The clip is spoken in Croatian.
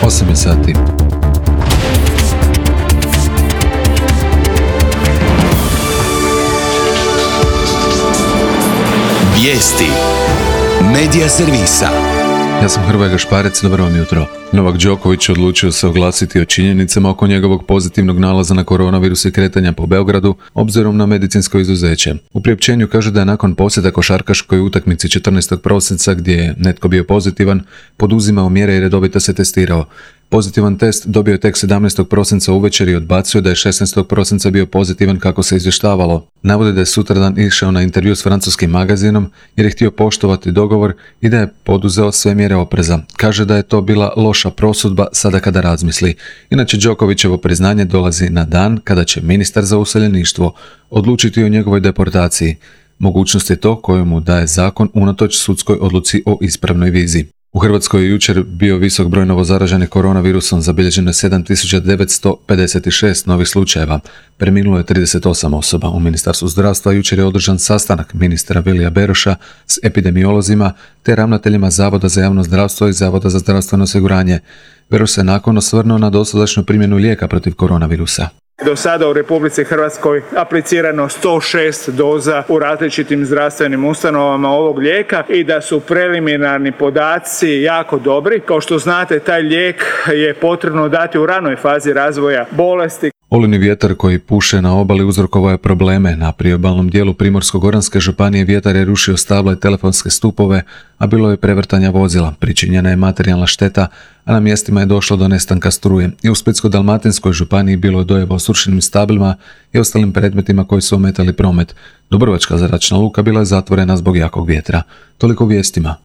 8 je sati. Vijesti Medija servisa. Ja sam Hrvoje Gašparec, dobro vam jutro. Novak Đoković odlučio se oglasiti o činjenicama oko njegovog pozitivnog nalaza na koronavirus i kretanja po Beogradu, obzirom na medicinsko izuzeće. U priopćenju kaže da je nakon posjeta košarkaškoj utakmici 14. prosinca, gdje je netko bio pozitivan, poduzimao mjere i redovito se testirao. Pozitivan test dobio je tek 17. prosinca uvečer i odbacio da je 16. prosinca bio pozitivan kako se izvještavalo. Navodi da je sutradan išao na intervju s francuskim magazinom jer je htio poštovati dogovor i da je poduzeo sve mjere opreza. Kaže da je to bila loša prosudba sada kada razmisli. Inače, Đokovićevo priznanje dolazi na dan kada će ministar za useljeništvo odlučiti o njegovoj deportaciji. Mogućnost je to koju mu daje zakon unatoč sudskoj odluci o ispravnoj vizi. U Hrvatskoj je jučer bio visok broj novozaraženih koronavirusom, zabilježeno je 7956 novih slučajeva. Preminulo je 38 osoba. U Ministarstvu zdravstva jučer je održan sastanak ministra Vilija Beroša s epidemiolozima te ravnateljima Zavoda za javno zdravstvo i Zavoda za zdravstveno osiguranje. Beroš se nakon osvrnuo na dosadašnju primjenu lijeka protiv koronavirusa. Do sada u Republici Hrvatskoj aplicirano 106 doza u različitim zdravstvenim ustanovama ovog lijeka i da su preliminarni podaci jako dobri. Kao što znate, taj lijek je potrebno dati u ranoj fazi razvoja bolesti. Olujni vjetar koji puše na obali uzrokovao je probleme. Na priobalnom dijelu Primorsko-goranske županije vjetar je rušio stabla i telefonske stupove, a bilo je prevrtanja vozila. Pričinjena je materijalna šteta, a na mjestima je došlo do nestanka struje. I u Splitsko-dalmatinskoj županiji bilo je dojava o srušenim stablima i ostalim predmetima koji su ometali promet. Dubrovačka zračna luka bila je zatvorena zbog jakog vjetra. Toliko vijestima.